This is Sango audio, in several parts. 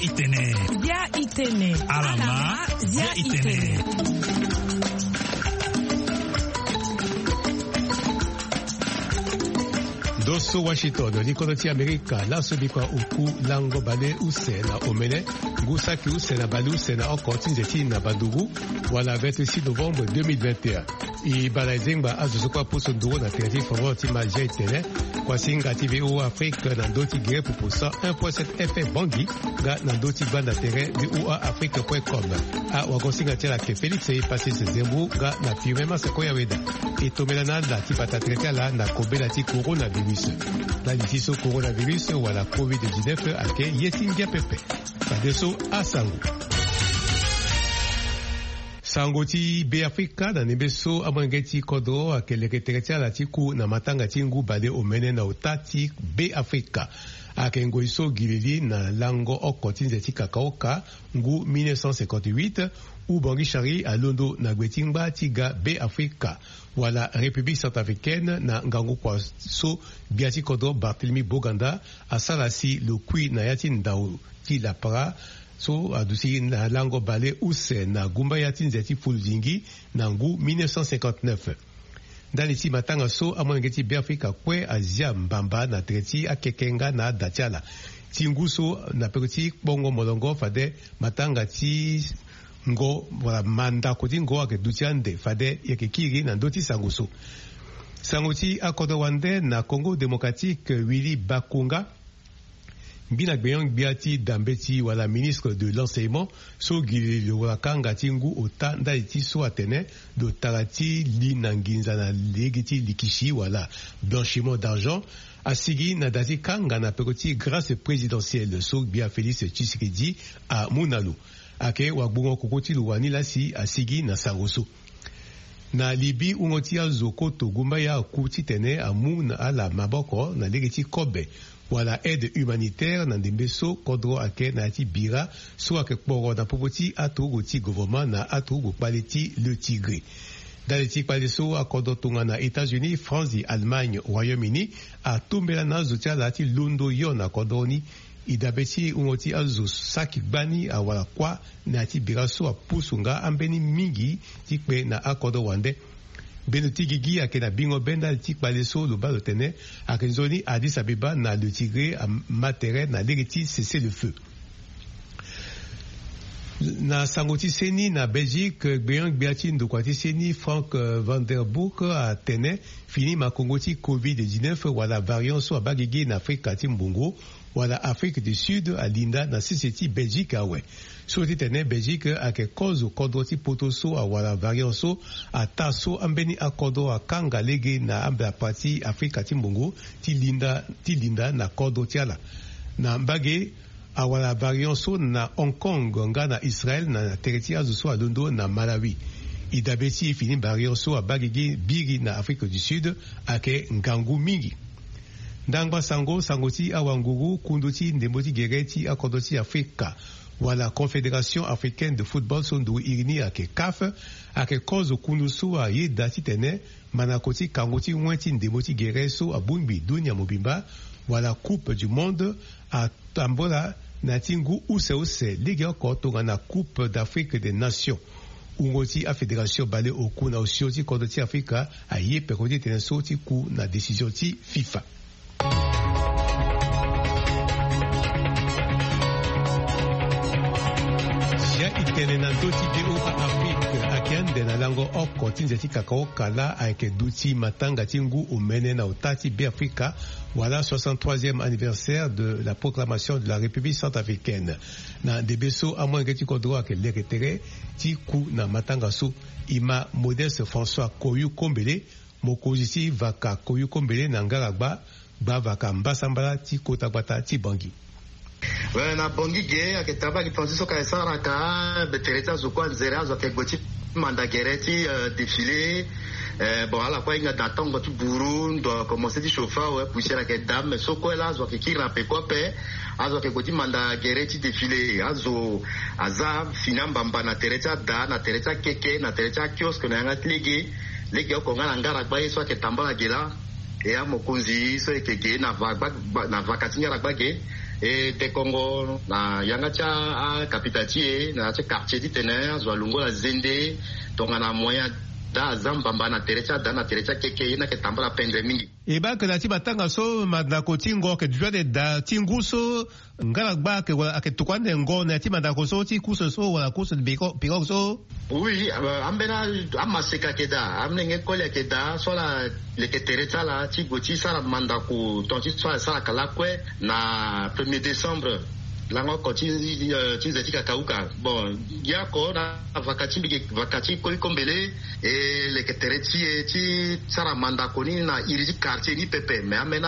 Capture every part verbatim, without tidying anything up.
Itene. Zia itene. Alama. Zia itene. Ndo so Washington, likodro ti Amerika, laso bikua oku lango bale use na omene, ngu saki use na bale use na oko ti nze ti na bandugu, wala vingt-six novembre deux mille vingt et un. E bala e zengba azo so kue apusu nduru na tere ti foro ti ma Zia itene. Kuasinga ti V O A Afrique na ndö ti gere pupu cent un point sept F M Bangui, nga na ndö ti gbanda tere V O A Afrique point com. Awagosinga ti ala ayeke Félix Epasis Zembu, nga na Firmin Maseko Yaweda. E tombela na ala ti bata tere ti ala na kobela ti coronavirus. Ndali ti so coronavirus wala covid dix-neuf ayeke ye ti ngia pepe. Fadeso asango. Sango ti Beafrika na ndembe so amolenge ti kodro ayeke leke tere ti ala ti ku na matanga ti ngu bale omene na ota ti Beafrika. Ayeke ngoi so gi lili na lango oko ti nze ti kakaoka, ngu mille neuf cent cinquante-huit, Houphouët-Boigny-Charie alondo na gbe ti ngba ti ga Beafrika, wala République centrafricaine, na ngangu kua so gbia ti kodro Barthélemy Boganda asara si lo kui na ya ti ndau ti lapara so aduti na lango bale use na gumbaya ti nze ti Fuludingi na ngu mille neuf cent cinquante-neuf. Ndali ti matanga so amolenge ti Beafrika kue azia mbamba na tere ti akeke nga na ada ti ala. Ti ngu so na peko ti kpongo molongo fade matanga ti ngo, wala mandako ti ngo ayeke duti ande fade e yeke kiri na ndö ti sango so. Sango ti akodro wande na Congo Démocratique, Willy Bakonga, mbi na gbenyo-gbia ti da mbeti wala ministre de l'enseignement, so gi lili lo wara kanga ti ngu ota ndali ti so atene lo tara ti li na nginza na lege ti likisi wala blanchiment d'argent, asigi na da ti kanga na peko ti grâce présidentielle so gbia Félix Tshisekedi amu na lo. Ayeke wagbongo koko ti lo wani laa si asigi na sango so. Na Libye, wungo ti azo koto gumbaya aku titene amu na ala maboko na lege ti kobe wala aide humanitaire na ndembe so kodro ayeke na ya ti bira so ayeke kporo na popo ti aturugu ti gouvernement na aturugu kpale ti Le Tigré. Ndali ti kpale so akodro tongana États-Unis, France, Allemagne, Royaume-Uni atombela na azo ti ala ti londo yo na kodro ni. E dabe ti wungo ti azo saki gbani awara kuâ na ya ti bira so apusu nga ambeni mingi ti kpe na akodro wande. Bendo ti gigi ayeke na bingo be ndali ti kpale so lo baa lo tene ayeke nzoni Addis Abeba na Le Tigré ama tere na lege ti cessez-le-feu. Na sango ti seni na Belgique, gbenyo-gbia ti ndokua ti seni Frank, eh, Vandenbroek atene fini makongo ti covid dix-neuf wala variant so abaa gigi na Afrika ti mbongo wala Afrique du Sud alinda na sese ti Belgique awe. So titene Belgique ayeke kozo kodro ti poto so awara variant so ataa so ambeni akodro akanga lege na ambelapa ti Afrika ti mbongo ti linda, ti linda na kodro ti ala. Na mbage, awara variant so na Hong Kong nga na Israël na tere ti azo so alondo na Malawi. E dabe ti fini variant so abaa gigi biri na Afrique du Sud ayeke ngangu mingi. Ndangba sango, sango ti awanguru, kundu ti ndembo ti gere ti akodro ti Afrika wala Confédération africaine de football so nduru iri ni ayeke CAF, ayeke kozo kundu so ayeda titene manako ti kango ti wen ti ndembo ti gere so abongbi dunia mobimba wala Coupe du Monde atambola na ya ti ngu use use legeoko tongana Coupe d'Afrique des Nations. Wungo ti afédération baleoku na osio ti kodro ti Afrika aye peko ti tene so ti ku na décision ti FIFA. Zia itene na ndö ti V O A Afrique, ayeke ande na lango oko ti nze ti kakaoka laa ayeke duti matanga ti ngu omene na ota ti Beafrika, wala soixante-troisième anniversaire de la proclamation de la République centrafricaine. Na ndembe so amolenge ti kodro ayeke leke tere ti ku na matanga so, e ma Modeste François Koyou Kombele, mokonzi ti vaka Koyou Kombele na Ngaragba, gbavaka mbasambala ti kota gbata ti Bangui. Eh, na Bangui ge ayeke tara bagi planti so ka e saraka, be tere ti azo kue anzere azo ayeke gue ti manda gere ti, eh, défilé. Eh, bon, ala kue ahinga da tongo ti buru, ndo akomense ti chauffe awe, poussière ayeke da, mais so kue laa azo ayeke kiri na peko ape. Azo ayeke gue ti manda gere ti défilé. Azo aza fini ambamba na tere ti ada, na tere ti akeke, na tere ti akiosque na yanga ti lege. Legeoko nga na Ngaragba ye so ayeke tambala ge laa. E amokonzi so e yeke ge na va gba, gba, na vaka ti Ngaragba ge. E dekongo na yanga ti akapita ti e na ya ti quartier titene azo alungo la zende tongana moyen ada aza mbamba na tere ti ada na tere ti akeke ye ni ayeke tambala pendre mingi. E baa ke na ya ti matanga so mandako ti ngo ayeke duti ande daa ti ngu so ngaragba ayeke wala ayeke tokua ande ngo na ya ti mandako so ti course so wala course pirogue so. Oui, ambeni amaseka ayeke daa, amolenge koli ayeke daa so ala leke tere ti ala ti gue ti sara mandako tonga ti so ala salaka lakue na premier décembre. Lango oko ti nze ti kakauka. Bon, ya oko na vaka ti mbi ke vaka ti koyiko mbele e leke tere ti e ti sara mandako ni na iri ti quartier ni pepe. Mais ambeni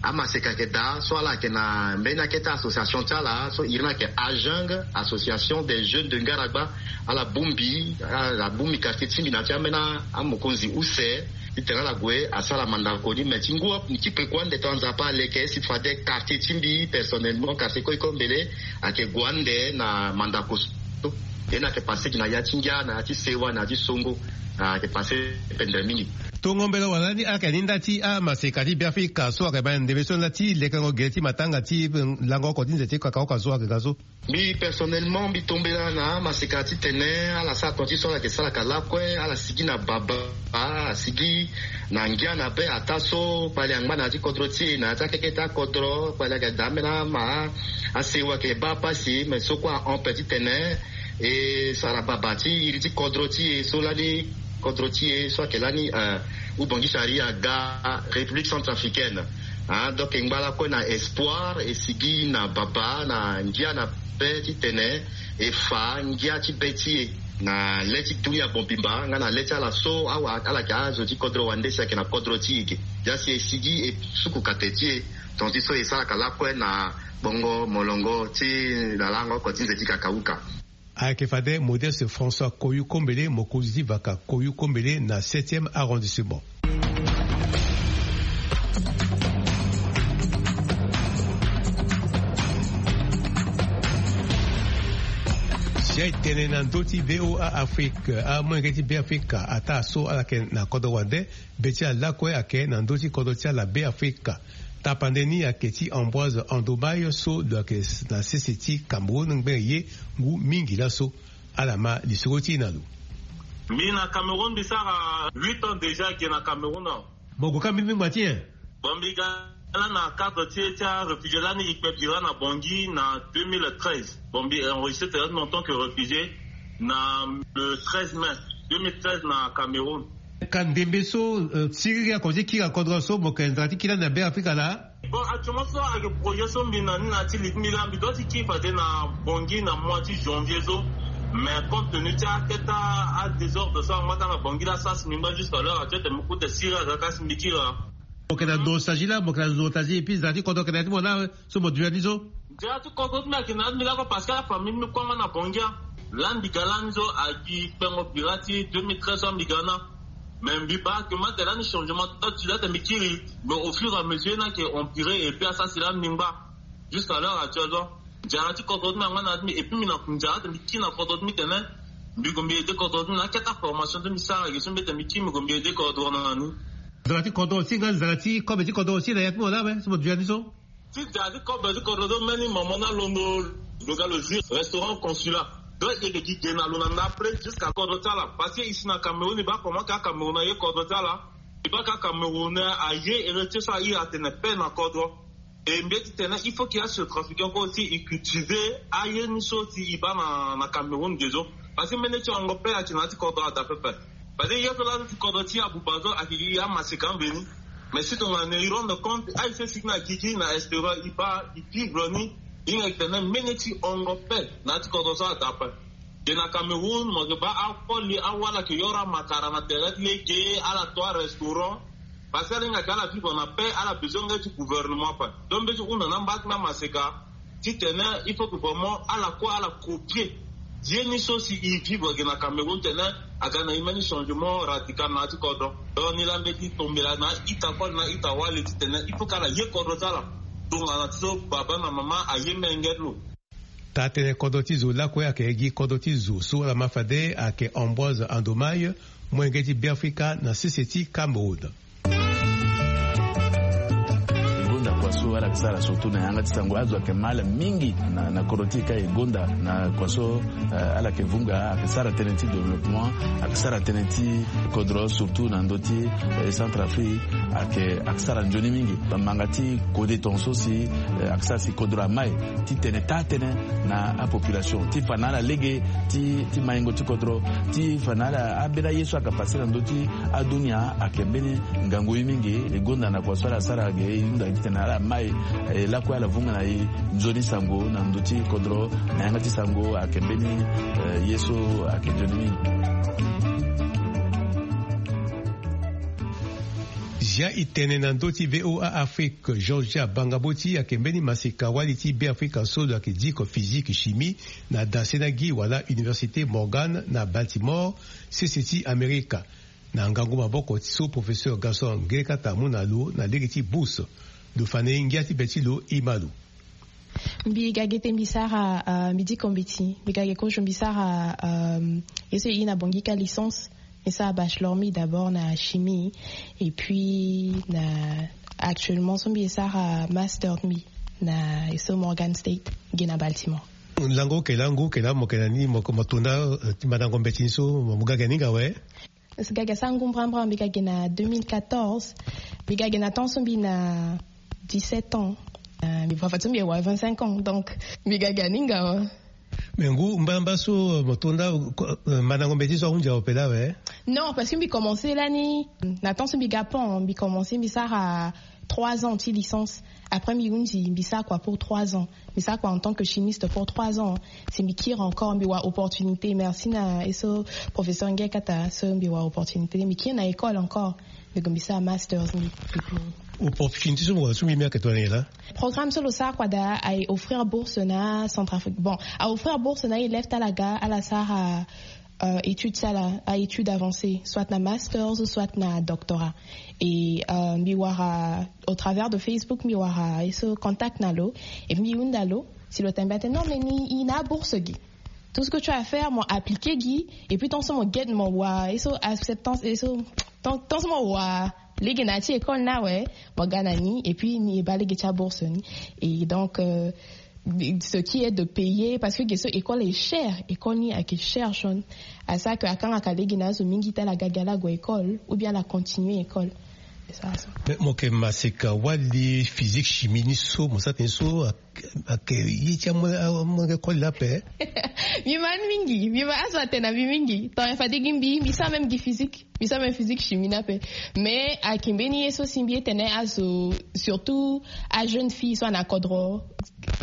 amaseka ayeke daa so ala yeke na mbeni akete association ti ala so iri ni ayeke ajang, association des jeunes de ngaragba. Ala bongbi ala bongbi quartier ti mbi na ya ti ambeni amokonzi use titene ala gue asara mandako ni. Mais ti ngu ti peko ande tongana nzapa aleke si fade quartier ti mbi personnellement quartier koyiko mbele ayeke gue ande na mandako so. Ye ni ayeke passe gi na ya ti ngia na ya ti sewa na ya ti songo. Ayeke passe pendre mingi. Tongo mbela wala ni ayeke ni nda ti amaseka ti beafrika so ayeke baa ndembe so nda ti lekango gere ti matanga ti lango oko ti nze ti kakaoka so ayeke ga so. Mbi personnellement mbi tombela na amaseka titene ala sara tonga ti so ala yeke salaka lakue ala sigi na baba, asigi na ngia na be ataa so kpali angba na ya ti kodro ti e na ya ti akeke ti akodro kpali ayeke daa ambeni ama asewa ayeke baa pasi mais so kue ahon pe titene e sara baba ti iri ti kodro ti e so lani kodro ti e so ayeke lani ubangisa ari aga république centrafricaine. Donc e ngba lakue na espoir e sigi na baba na ngia na be titene e fa ngia ti be ti e na le ti dunia mobimba nga na le ti ala so awa ala yeke azo ti kodro wande si ayeke na kodro ti e ge. Ya si e sigi e suku kate ti e tonga ti so e salaka lakue na bongo molongo ti na lango oko ti nze ti kakauka. Ayeke fade Modeste François Koyukombele, mokonzi ti vaka Koyukombele na septième arrondissement. Si aye tene na ndö ti VOA Afrique, amolenge ti Beafrika ataa so ala yeke na kodro wande, be ti ala lakue ayeke na ndö ti kodro ti ala Beafrika. Tapande ni ayeke ti Ambroise Andomaye so lo yeke na sese ti Cameroun ngbene ye ngu mingi laso. Ala ma lisoro ti e na lo. Mbi na Cameroun mbi sara huit ans déjà ge na Cameroun. Mo gue ka mbimbi ngba ti nyen? Bon mbi ga lani na cadre ti e ti aréfugié lani e kpe bira na Bangui na deux mille treize. Bon mbi enregistré tere ti mbi en tant que réfugié na le treize mai deux mille treize na Cameroun. Ka ndembe so siriri ako ti kiri na kodro so mo yeke nzara ti kiri lani na Beafrika laa? Bon actuellement so ayeke projet so mbi na ni na ya ti li ti mbi laa mbi doit ti kiri fade na Bangui na mois ti janvier so. Mais compte tenu ti akete adésordre so angba ka na Bangui laa sara si mbi ngba jusqu'à l'heure actuelle tene mbi kute siriri aga ka si mbi kiri laa. Mo yeke na nostalgie laa mo yeke na nostalgie et puis nzara ti kodro ayeke na ya ti mo laa so mo dunia ni so. Nzara ti kodro ti mbi ayeke na ya ti mbi laa kue parce que afamille ti mbi kue angba na Bangui. Lani mbi ga lani so agi kpengo bira ti deux mille treize so mbi ga na. Mais mbi baa ke mbi atene lani changement ti laa tene mbi kiri. Mais au fur et à mesure ni ayeke empiré et puis asara si lani mbi ngba. Jusqu'à l'heure actuelle so nzara ti kodro ti mbi angba na ya ti mbi et puis mbi na nzara tene mbi kiri na kodro ti mbi tene mbi gue mbi aidé kodro ti mbi na akete aformation ti mbi sara ge so mbi tene mbi kiri mbi gue mbi aidé kodro na ni. Nzara ti kodro aussi nga nzara ti kobe ti kodro aussi na ya ti mo laa awe so mo dunia ni so. Ti nzara ti kobe ti kodro so mbeni mama ni alondo lo ga lo zwi restaurant consulat. Donc e yeke gi ge na lo na ndapre jusqu'à kodro ti ala parce que e si na Cameroun e baa comment ka Cameroun aye kodro ti ala. E baa ka Cameroun aye héritier so a iri atene paix na kodro. E mbi ye ti tene il faut ke asetrafiquant kue aussi e cultiver aye ni so si e baa na na Cameroun ge so. Parce que mbeni ti hongo paix ayeke na ya ti kodro ada pepe. Parce que ye so laa ti kodro ti abuba so ayeke gi amaseka mbeni. Mais si tongana e rendre compte aye so e sigi na gigi na extérieur e baa e vivre ni. E hinga e tene mbeni ti hongo paix na ya ti kodro so ada ape. Ge na Cameroun mo yeke baa akoli awala ayeke yoro amakara na tere ti lege ala to arestaurant. Parce que ala hinga ke ala vivre na paix ala besoin nge ti gouvernement ape. Donc mbi ye ti hunda na amba ti mbi amaseka titene il faut que vraiment ala kue ala copier ye ni so si e vivre ge na Cameroun titene aga na e mbeni changement radical na ya ti kodro. Donc ni laa mbi ye ti tombela na ita koli na ita wali titene il faut que ala ye kodro ti ala. Tongana ti so baba na mama aye menge ti lo. Taa-tënë kodro ti zo lakue ayeke gi kodro ti zo so ala ma fade ayeke Ambroise Andomaye, molenge ti Beafrika na sese ti Cameroun. Ngonda kua so Ala yeke sara surtout na yanga ti sango, azo ayeke ma ala mingi na, na kodro ti e ka e gonda na kua so, eh, ala yeke vunga, ayeke sara tënë ti développement, ayeke sara tënë ti kodro surtout na ndö ti, eh, Centrafrique, ayeke, ayeke sara nzoni mingi. Manga ti kode tongaso si, eh, ayeke sara si kodro amai ti tene taa tënë na apopulation ti fa na ala lege ti, ti maingo ti kodro, ti fa na ala ambeni aye so ayeke pase na ndö ti adunia ayeke mbeni ngangu ye mingi. E gonda na kua so ala sara ge, e hunda gi titene ala mai, eh, lakue ala vunga na e nzoni sango na ndö ti kodro, na yanga ti sango ayeke mbeni, eh, ye so ayeke nzoni mingi. Zia e tene na ndö ti V O A Afrique, Georgia Bangaboti ayeke mbeni maseka wali ti Beafrika so lo yeke diko physique chimie na dase na gi wala Université Morgan na Baltimore, sese ti Amerika. Na ngangu maboko ti so professeur Gaston Ngelekata amu na lo na lege ti bourse. Lo fa na e ngia ti be ti lo e ma lo. Mbi ga ge te, mbi sara, euh, mbi diko mbeti. Mbi ga ge kozo, mbi sara, euh, ye so e na Bangui ka licence. Mbi sara bachelor mi d'abord na chimie. Et puis na actuellement so mbi sara master mi na ye so Morgan State, ge na Baltimore. Lango kela ngu kela mo kela ni mo, mo tonda, euh, ti mandango mbeti ni so mo ga ge ni nga we. Ga ge sa ngu mbrambra, mbi ga ge na deux mille quatorze. Mbi ga ge na temps so mbi na dix-sept ans. Euh, mbi fa fa so mbi wa vingt-cinq ans. Donc mbi ga ge ni nga wa. Mais ngu mbrambra so, euh, mo tonda, euh, mandango mbeti so ahunzi ape la we. Non, parce que mbi commencé lani na temps so mbi ga pon, mbi commencé, mbi sara trois ans ti licence. Après mbi hunzi, mbi sara kua pour trois ans. Mbi sara kua en tant que chimiste pour trois ans. Si mbi kiri encore, mbi wa opportunité. Merci na ye so professeur Ngelekata so mbi wa opportunité. Mbi kiri na école encore. Mbi gue mbi sara masters mbi. Opportunité so mo wa so mbi, mbi ayeke tongana nyen laa? Programme so lo sara kua daa aye offrir bourse na Centrafrique. Bon, a offrir bourse na élève ti ala ga ala sara, euh, étude ti ala, a étude avancée, soit na masters, soit na doctorat. Et, euh, mbi wara au travers de Facebook, mbi wara ye so contact na lo. Et mbi hunda lo si lo tene mbi atene non, mais ni, i na bourse gi. Tout ce que tu as à faire, mo appliquer gi. Et puis tant so mo get, mo wa ye so acceptance, ye so tant, tant so mo wa lege na ya ti école ni awe, mo ga na ni. Et puis ni e baa lege ti abourse ni. Et donc, euh, ce qui est de payer, parce que ge so école est cher, école ni ayeke cher, Sean. Asara que akangaka lege na azo mingi ti ala ga gi ala gue école ou bien ala continuer école. C'est ça, ça. Mais mo yeke maseka wali physique chimie ni so mo sara tënë so, ayeke ye ti amolenge koli laa ape? Mbi ma ni mingi, mbi ma azo atene na mbi mingi. Tongana fade gi mbi, mbi sara même gi physique. Mbi sara même physique chimie ni ape. Mais ayeke mbeni ye so si mbi ye tene azo, surtout ajeune fille so ana kodro,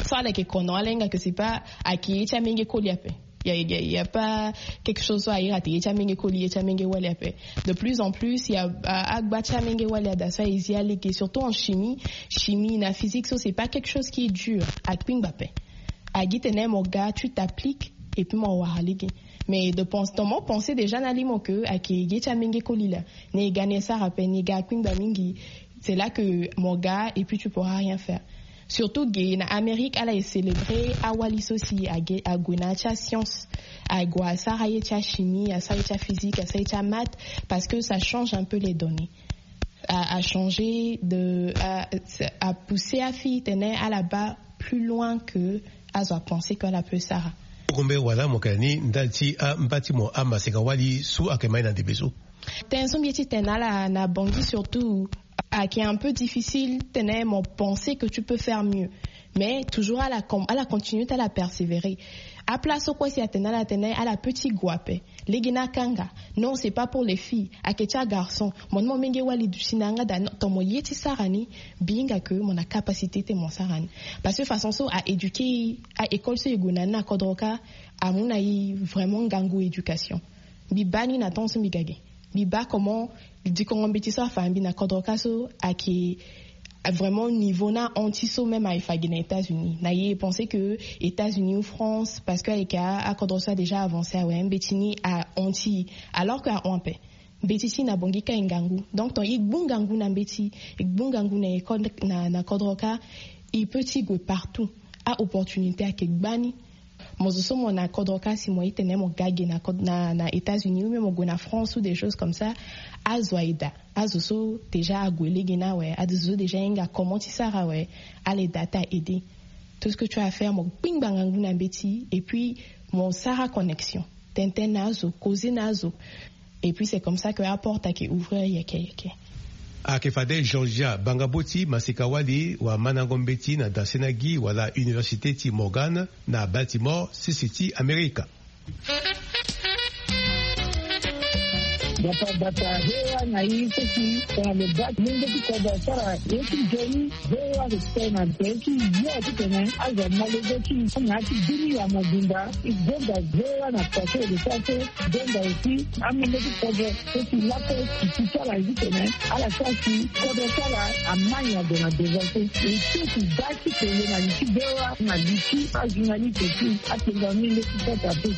so ala yeke kono, ala hinga que c'est pas, ayeke ye ti amenge koli ape. Il y a, il y a, il y a pas quelque chose so a iri ate ye ti amenge koli, ye ti amenge wali ape. De plus en plus, il y a, a, agba ti amenge wali ada so aye zi alege, surtout en chimie. Chimie na physique so, c'est pas quelque chose qui est dur. Akpingba ape. Agi tene mo ga, tu t'appliques, et puis mo wara lege. Mais de pense, dans mon pensée déjà na limo que ayeke ye ti amenge koli laa. Ni e ga ni e sara ape, ni e ga akpingba mingi. C'est là que mo ga, et puis tu pourras rien faire. Surtout ge na Amérique, ala e célébrer awali so si age, ague na ya ti ascience, ague asara ye ti achimie, asara ye ti aphysique, asara ye ti amaths, parce que ça change un peu les données. A, a changer de, a, a pousser afille tene ala baa plus loin que azo apenser que ala peut sara. Kogombe wala mo yeke na ni ndali ti amba ti mo amaseka wali so ayeke ma ye na ndembe so? Tënë so mbi ye ti tene na ala na Bangui surtout, ayeke un peu difficile tene mo penser que tu peux faire mieux. Mais toujours ala com-, ala continuer ti ala persévérer. Aplace so kue si atene na ala tene ala peut ti gue ape. Lege ni akanga. Non, c'est pas pour les filles. Ayeke ti agarçon. Mo ni mo menge wali duti na yanga daa, non, tongana mo ye ti sara ni, mbi hinga que mo na capacité ti mo sara ni. Parce que façon so a éduquer, a école so e gue na ni na kodro kâ, amu na e vraiment ngangu éducation. Mbi baa ni na temps so mbi ga ge. Mbi baa comment dikongo mbeti so afa mbi na kodro kâ so ayeke vraiment niveau ni ahon ti so même aye fa ge na États-Unis. Na ye e penser que États-Unis ou France, parce que ayeke a, akodro so a déjà avancé awe, mbeti ni ahon ti e. Alors que ahon ape. Mbeti ti e na Bangui kâ e ngangu. Donc tongana e gbu ngangu na mbeti, e gbu ngangu na école, na, na kodro kâ, e peut ti gue partout. A-opportunité ayeke gbani. Mo zo so mo na kodro ka si mo itene mo ga gi na états-unis ou même mo gue na france ou des choses comme ça. Azo aye daa. Azo so déjà ague lege ni awe azo so déjà ahinga comment ti sara awe. Ala daa ti a aide. Tout ce que tu as à faire mo gbingba ngangu na mbeti et puis mo sara connexion. Tenten na azo causer na azo. Et puis c'est comme ça que aporte ayeke ouvrir yeke yeke. Ayeke fade georgia bangabo ti masika-wali wa mandango mbeti na dasenagi wala université ti morgan na baltimore sisi ti amerika. Bata bata hewa na i seki tongana lo bati menge ti kodro asara ye ti nzoni. Hewa respect na nte ti yo ti tene azo amolege ti na ti bini ya mobimba. I gonda hewa na pase de sa so. Donda aussi amenge ti kodro so si lape si ti sara ye ti tene ala sara si kodro ti ala amai ado na devant so. E so si da ti tene na li ti bewa na li ti ajournaliste aussi. Atenga menge ti sota pe.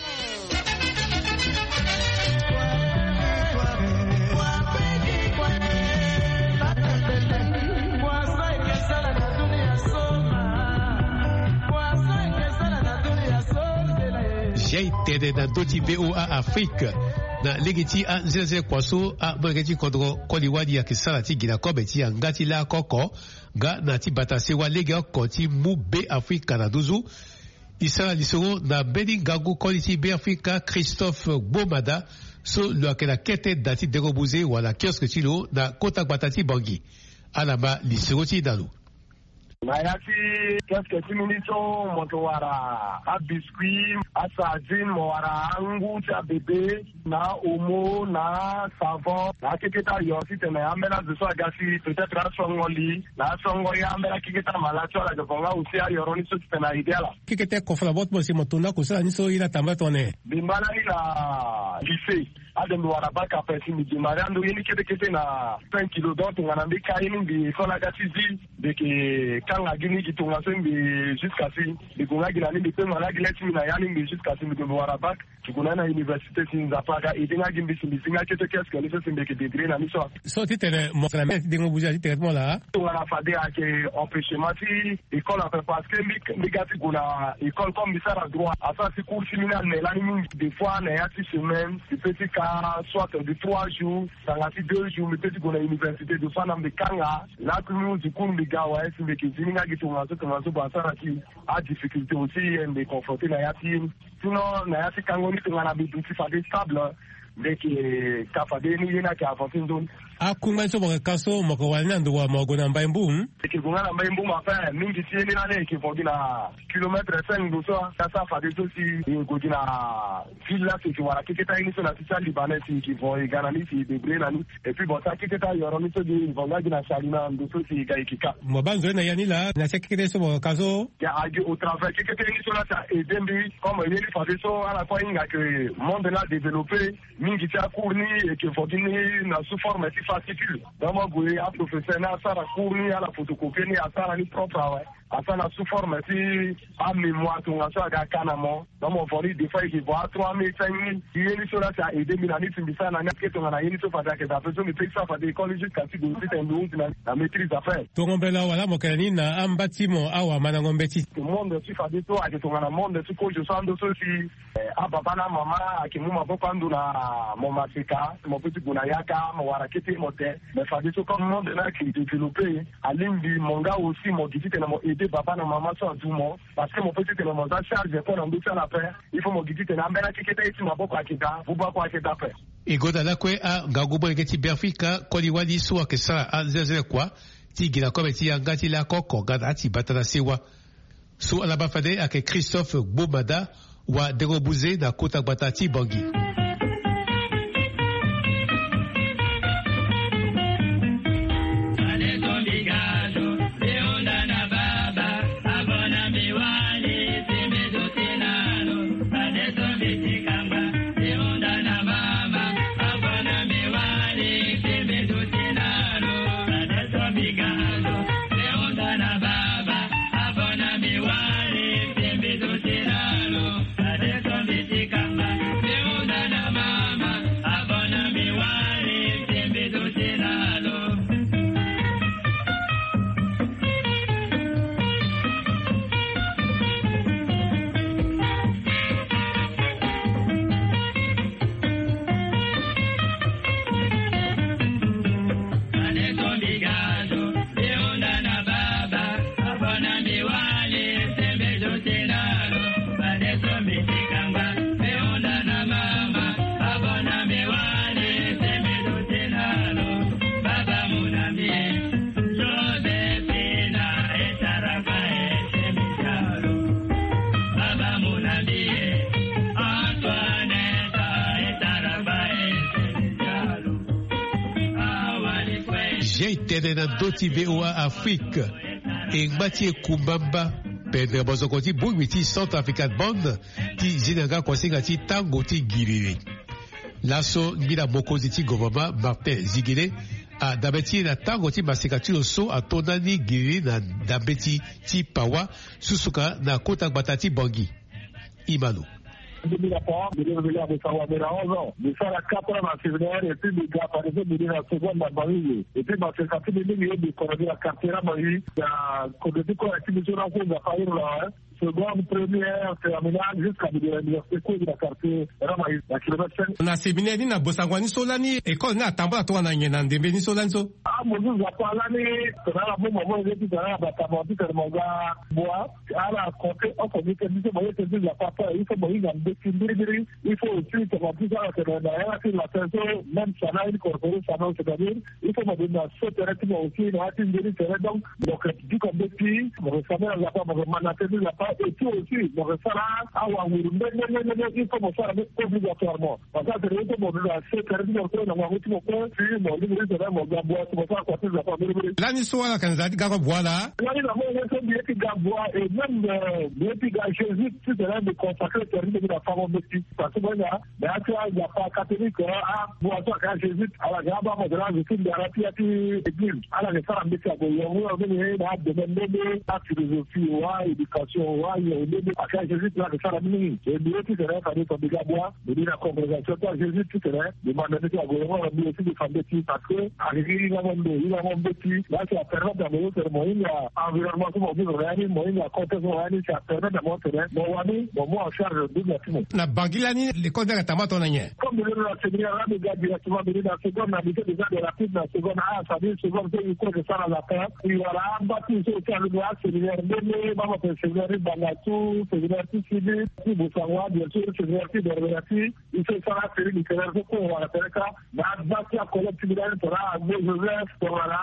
Jai tene na ndö ti voa afrique. Na lege ti anzelazele kua so amolenge ti kodro koli wali ayeke sara ti gi na kobe ti yanga ti lako oko nga na ti bata sewa lege oko ti mu be afrika na nduzu. E sara lisoro na mbeni ngangu koli ti be afrika christophe gbomada so lo yeke na kete da ti dengo buze wala kioske ti lo na kota gbata ti bangi. Ala ma lisoro ti e na lo. Na ya ti kioske ti mini so mo yeke wara abiscuit asardine mo wara angu ti abebe na omo na savon na akekete ayo titene ambeni azo so aga si peut-être asongo li na asongo ye ambeni akekete amala so ala yeke vonga aussi ayoro ni so titene aide ala. Kekete kofo na bo ti mo si mo tonda kosala ni so ye na tamba tongana nyen? Mbi ma lani na lycée. Ade mbi wara bak ape si mbi gi mari ando ye ni kete kete na cinq kilo donc tongana mbi ka ye ni mbi école aga ti zi. Mbi yeke kanga gi ni gi tongaso mbi jusqu'à si mbi gue nga gi na ni mbi kpengba nga gi le ti mbi na ya ni mbi jusqu'à si mbi gue mbi wara bak. Ti gue na ni na université si nzapa aga aide nga gi mbi si mbi zi nga kete kioske ni so si mbi yeke débrouiller na ni so. So titene mo sara mbi ti dengo buze ti tere ti mo laa. Tongana fade ayeke empêchement ti école ape parce que mbi mbi ga ti gue na école comme mbi sara droit asara si cours ti mbi ni ane lani mingi des fois na ya ti semaine mbi peut ti ka soit de trois jours tanga ti deux jours mbi peut ti gue na université des fois na mbi kanga. Lakui mbi hundi cours mbi ga awe si mbi yeke zi ni nga gi tongaso tongaso ba asara si adifficulté aussi ye mbi confronté na ya ti ye ni. Sinon na ya ti kango ni tongana mbi duti fade stable mbi yeke ka fade ye ni ye ni ayeke avancé nzoni. Akungba ni so mo yeke ka so mo yeke wara ni na ndo wa mo gue na mbai mbu? Mbi yeke gue nga na mbai mbu ma fin mingi ti ye ni lani e yeke vo gi na kilomètre cinq ndo so asara fade so si e gue gi na ville la si e yeke wara keketa ye ni so na ti ti alibanais si e yeke vo e ga na ni si e débrouiller na ni. Et puis bon ti akeketa yoro ni so gi e vo nga gi na sali na ndo so si e ga e yeke ka. Mo baa nzoni na ya ni laa na ti akeketa ye so mo yeke ka so. Ya agi au travers keketa ye ni so la si a aide mbi comme ye ni fade so ala kue ahinga ke monde la adéveloppé. Mingi ti acours ni e yeke vo gi ni na sous forme ti fascicule. Donc mo gue aprofesseur ni asara cours ni ala photocopie ni asara ni propre awe. Asara na sous forme ti amémoire tongaso aga ka na mo. Donc mo vo ni des fois e yeke vo atrois mille cinq mille. Ye ni so la si a aide mbi na ni si mbi sara na ni ake tongana ye ni so fade ayeke daa ape so mbi peut ti sara fade école jusqu'à ti gue titene mbi hundi na maîtrise ape. Tongo mbela wala mo yeke na ni na amba ti mo awamandango mbeti. Monde ti fade so ayeke tongana monde ti kozo so ando so si ababa na amama ayeke mu maboko ando na mo maseka mo peut ti gue na yaka mo wara kete mo te. Mais fadeso comme monde ni ayeke développé alingbi mo nga aussi mo gi titene mo aidé baba na mama so adu mo. Parce que mo peut titene mo za charge kue na ndö ti ala ape. Il faut mo gi titene ambeni akeketa ye ti maboko ayeke daa buba kue ayeke daa ape. E gonda lakue angangu molenge ti beafrika koli wali so ayeke sara anzelazele kua ti gi na kobe ti yanga ti lakoko nga na ati bata na sewa. So ala baa fade ayeke christophe gbomada wa dengo buze na kota gbata ti bangi. Tene na ndö ti VOA Afrique, e ngba ti ekumba mba pendere bozoko ti bongbi ti Centrafrican Band ti zi na nga kuasinga ti tango ti giriri. Laso ngbila mokonzi ti gouvernement Martin Zigele adabe ti e na tango ti maseka ti lo so ato ndani giriri na ndambe ti ti Pawa, susuka na kota gbata ti Bangui. Imano. Mbi na Pawa, mbi na mbi na mbi na onze ans. Mbi sara quatre ans na séminaire et puis mbi ga fade so mbi na seconde na Bangui. Et puis maseka ti mbi mingi ye mbi kono mbi na quartier Ramayi. Na kono ti kora ti mbi so na so Nzapa iri na, hein. Seconde, première, terminale, jusqu'à mbi na université kue mbi na quartier Ramayi, na kilomètre cinq. Na séminaire ni na bosango ni so lani école ni atambula tongana nyen na ndembe ni so lani so? Ah, mo zu Nzapa lani, tongana mo mama mo ye ti tongana batama ti tene mo ga bwa. Ala compter oko mbi tene biso mo ye tene ti Nzapa ape, il faut mo hinga mbeti mbirimbiri. Il faut aussi tongana ti so ala tene na yanga ti latin so, même sana incorporé sana, c'est-à-dire il faut mo bima so tere ti mo aussi na ya ti nzoni tere. Donc mo ke duka mbeti, mo ke sambela Nzapa, mo ke ma na tene ti Nzapa, et puis aussi mo ke sara awanguru nde nde nde nde, il faut mo sara ni obligatoirement. Parce que atene ye so mo duti na se kare ti mo kue na ngangu ti mo kue, si mo lingbi ti tene mo ga bua, si mo sara kua ti Nzapa mbirimbiri. Lani so ala yeke na nzara ti ga kue bua laa? Lani na mo ye so mbi ye ti ga bua, et même, euh, mbi ye ti ga jésuite ti tene mbi consacré tere ti mbi na fango mbeti. Parce que mo hinga na ya ti aNzapa catholique, ah, abua so ayeke ajésuite, ala ga abaa mo tene azo ti ndara ti ya ti église. Ala yeke sara mbeti ague yongo yongo mingi na adomaine nde nde, aphilosophie wa, éducation wa, yongo nde nde. Ayeke ajésuite la ayeke sara mingi. E mbi ye ti tene fade so mbi ga bua. Mbi ni na congrégation ti ajésuite ti tene, mbi manda mbeti ague yongo na mbi aussi mbi fa mbeti parce que ayeke hingango ndo, hingango mbeti. Là, ça permet na mo so tene mo hinga environnement so mo vivre na ya ni, mo hinga contexte so mo na ya ni, ça permet na mo tene mo wani mo mu en charge dunia ti mo. Na Bangui lani, l'école ni ayeke tambula tongana nyen? Comme mbi ni na séminaire la, mbi ga directement, mbi ni na seconde, na lycée des arts et rapide na seconde, ah, ça dit seconde so i kue ke sara latin. I wara amba ti so ti alundu aséminaire mbeni, mama pe séminaire ti Bangassou, séminaire ti Sidi, ti Bossangoa, bien sûr, séminaire ti Berbera ti. I so i sara asérie littéraire so kue wala tere ka. Na agba ti acollègue ti mbi lani tongana Agbo Joseph, tongana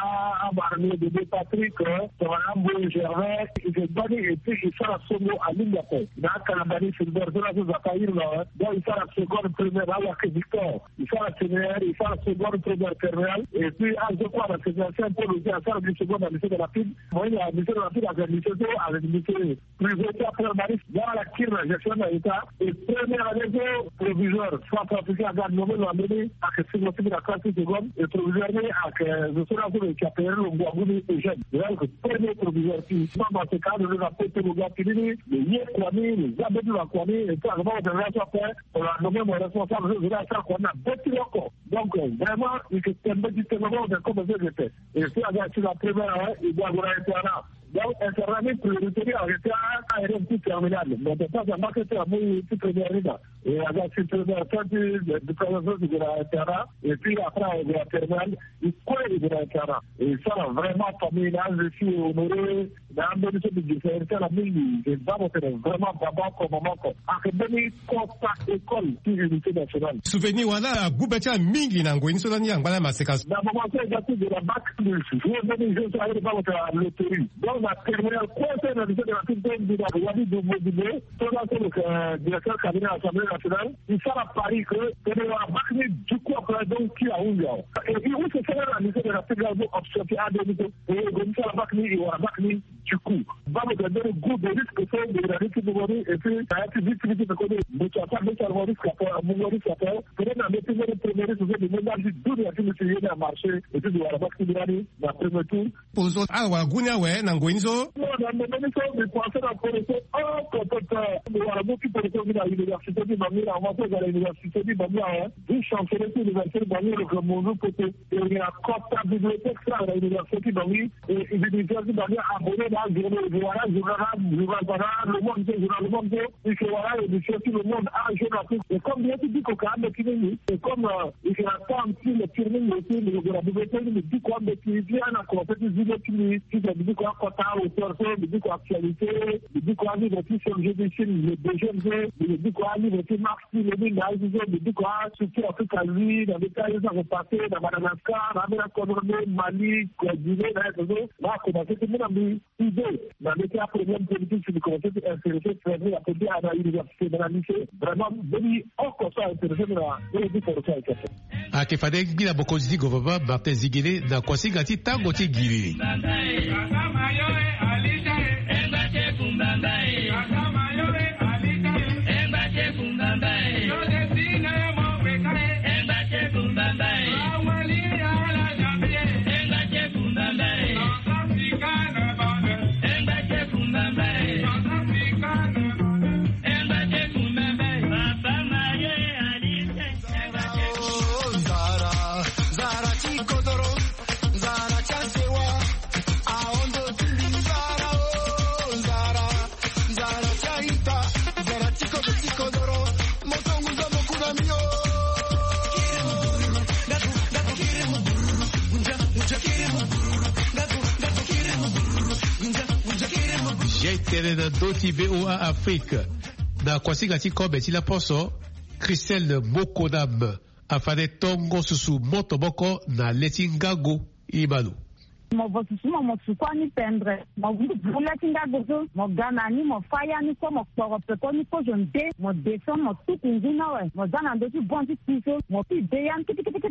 Abarnier Bébé Patrick, tongana Mboye Gervais, i ke gbani et puis i sara songo alingbi ape. Na akalambani Filbert so laso Nzapa iri na, donc i sara seconde, première na Wake Victor. I sara séminaire, i sara seconde, première, terminale. Et puis azo kue na séminaire Saint Paul aussi asara gi seconde na lycée de la Pile. Mo ye na lycée de la Pile ayeke lycée so ayeke lycée privé ti apre mari. Nga ala kiri na gestion na état. Et première année so proviseur, centrafricain aga nommé lo na mbeni, ayeke singo ti mbi na classe ti seconde. Et proviseur ni ayeke zo so laso lo yeke appelé lo ngu agu ni Eugène. Lo ayeke premier proviseur ti. Mama seka alo lo na poto lo ga fini ni, lo ye kua ni, lo za mbeti lo na kua ni. Et puis ayeke mama tene laso ape, lo na nommé mo responsable so zo ni asara kua ni na be ti lo oko. Donc vraiment i yeke tene mbeti tene mama tene comme so i yeke tene. Et puis aga si na première année, i doit ague na internat. Donc internat ni priorité ni ayeke ti a-élève ti terminale, mais de temps en temps kete amu ti première ni na. E aga si première so ti diplôme so ti gue na internat, et puis après ague na terminale, i kue i gue na internat. E sara vraiment famille na azo ti honoré na ambeni so mbi gi fa iri ti ala mingi. Mbi baa mo tene vraiment baba oko mama oko ayeke mbeni kota école ti unité nationale. Souvenir wala agu be ti ala mingi na ngoi ni so lani angba na maseka so? Na moment so e ga ti gue na bac, mbi joue mbeni jeu so aye baa mo tene na loterie. Donc na terminale kue so na lycée de la Pile so mbi na wani Dumbo Dumbo so laso lo yeke directeur cabinet assemblée nationale. I sara pari ke tene i wara bac ni du coup après, donc ti ahunzi awe. Et i use sara na lycée de la Pile la so option ti ade ni so. E gue ti sara bac ni, i wara bac ni du coup. Baa mo tene mbeni goût de risque so mbi na ni ti mungo ni, et puis na ya ti vie ti mbi ti pekoni mbi ti asara mbi ti sara mo risque ape, mungo risque ape. Peut-être na mbi ti mbeni premier risque so mbi mu ndali ti dunia ti mbi ti ye ni amarché, et puis mbi wara bac ti mbi lani na premier tour. Poroso ala wara gu ni awe na ngoi ni so? Non, na ndembe ni so mbi pensé na poroso oko pepe. Mbi wara mu ti poroso mbi na université ti Bangui, na moment so e ga na université ti Bangui awe. Vice chancelier ti université ti Bangui lo yeke mu nzu poto. E yeke na kota bibliothèque so ayeke na université ti Bangui. E université ti Bangui abonné na ajournaux, e yeke wara ajournal, na journal wala Le Monde so, journal Le Monde so. E yeke wara émission ti Le Monde, ajournal so. E comme mbi ye ti biko ka ambeti mingi, e comme, euh, e yeke na temps ti lecture mingi aussi, mbi yeke gue na bibliothèque ni mbi biko ambeti ti ana conseil ti zi le ti mbi, ti mbi biko akota auteur so, mbi biko actualité, mbi biko alivre ti Serge Bichim, le deuxième so, mbi biko alivre ti Marx ti Lénine na azo so, mbi biko astructure Afrique Asie na mbeti aye so ayeke passé na Madagascar, na ambeni akodro nde Mali, Guinée, na aye so, na akomanse ti mu na mbi idée. Na ndeti aprobléme politique si li commencé ti intéressé, fermé na politique na université, na lycée. Vraiment mbeni oko so a intéressé na ndeti politique. Ayeke fade ngbi na bokonzi ti gouvernement Martin Zingele na kuasinga ti tango ti ngiri. Jai tene na ndö ti V O A Afrique. Na kuasinga ti kobe ti laposo, Christelle Mokonam afade tongo susu moto moko na le ti ngago. Imano. Mo vo susu mo, mo sukua ni pendre. Mo vuru le ti ngago so, mo ga na ni, mo fa ya ni kue, mo kporo peko ni kozo nde, mo descend, mo tuku ngu ni awe, mo za na ndö ti bon ti kpi so, mo pi de ya ni kitikiti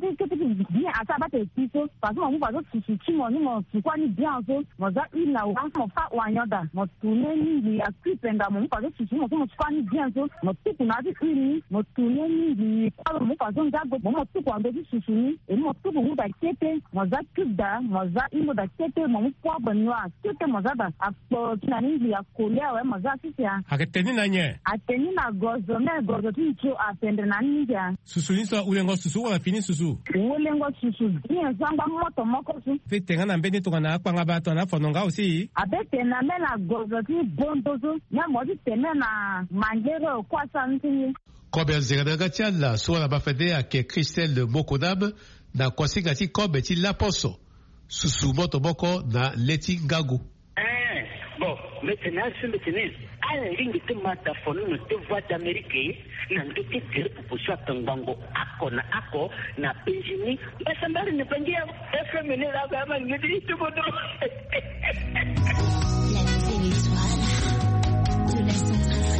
bien asa abate kpi so. Parce que mo mu faso susu ti mo ni, mo sukua ni bien so, mo za huile na wa, mo fa oignon da, mo tourne ni ngbii akui penga, mo mu faso susu mo so, mo sukua ni bien so, mo tuku na ya ti huile ni, mo tourne ni ngbii kue, mo mu faso ngago, mo mu mo tuku na ndö ti susu ni, et mo tuku ngu da kete, mo za cube da, mo za hingo da kete, mo mu poivre noir kete, mo za da. Akpo ti na ni ngbii akoli awe, mo za sisi a. Ayeke te ni na nyen? Ayeke te ni na gozo, me gozo ti nzio apendre na ni mingi a. Susu ni so ahulengo susu wala fini susu? Hulengo susu bien so angba moto moko so. Abe tene nga na mbeni tongana akpangaba tongana afono nga aussi? Abe tene na me na gozo ti bondo so, me mo ti tene na mangere okua sa ni ti ye. Kobe anzere na yanga ti ala so ala ma fade ayeke Christelle Mokonam, na kuasinga ti kobe ti laposo, susu moto moko na le ti ngago. Eh, bon, mbi tene asi, mbi tene ala lingbi ti ma dafono na te Voix d'Amérique na ndö ti gere popo so atongbango oko na oko na Benjini. Mbasambari na Bangi ya F M ni la ba ma ngedi ti bodo. La nouvelle étoile de la Centrafrique.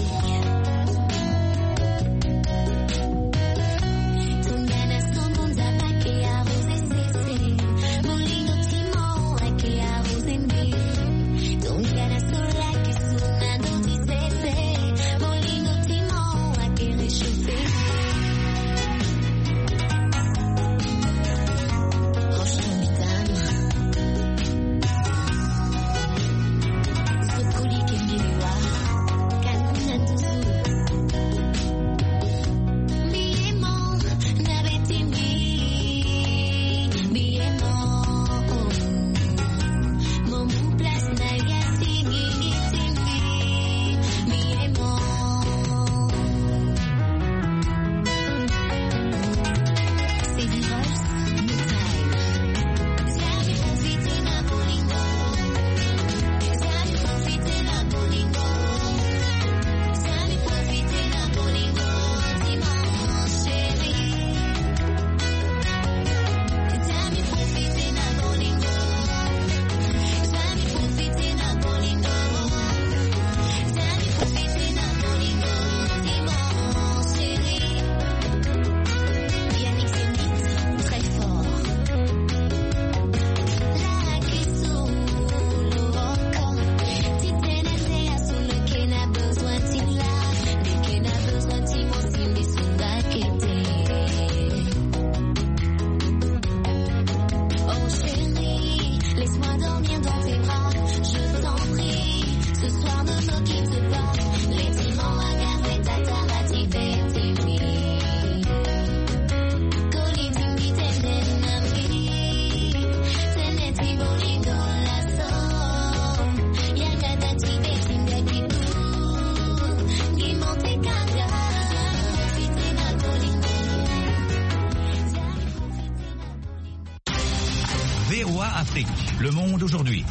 V O A Afrique, le monde aujourd'hui.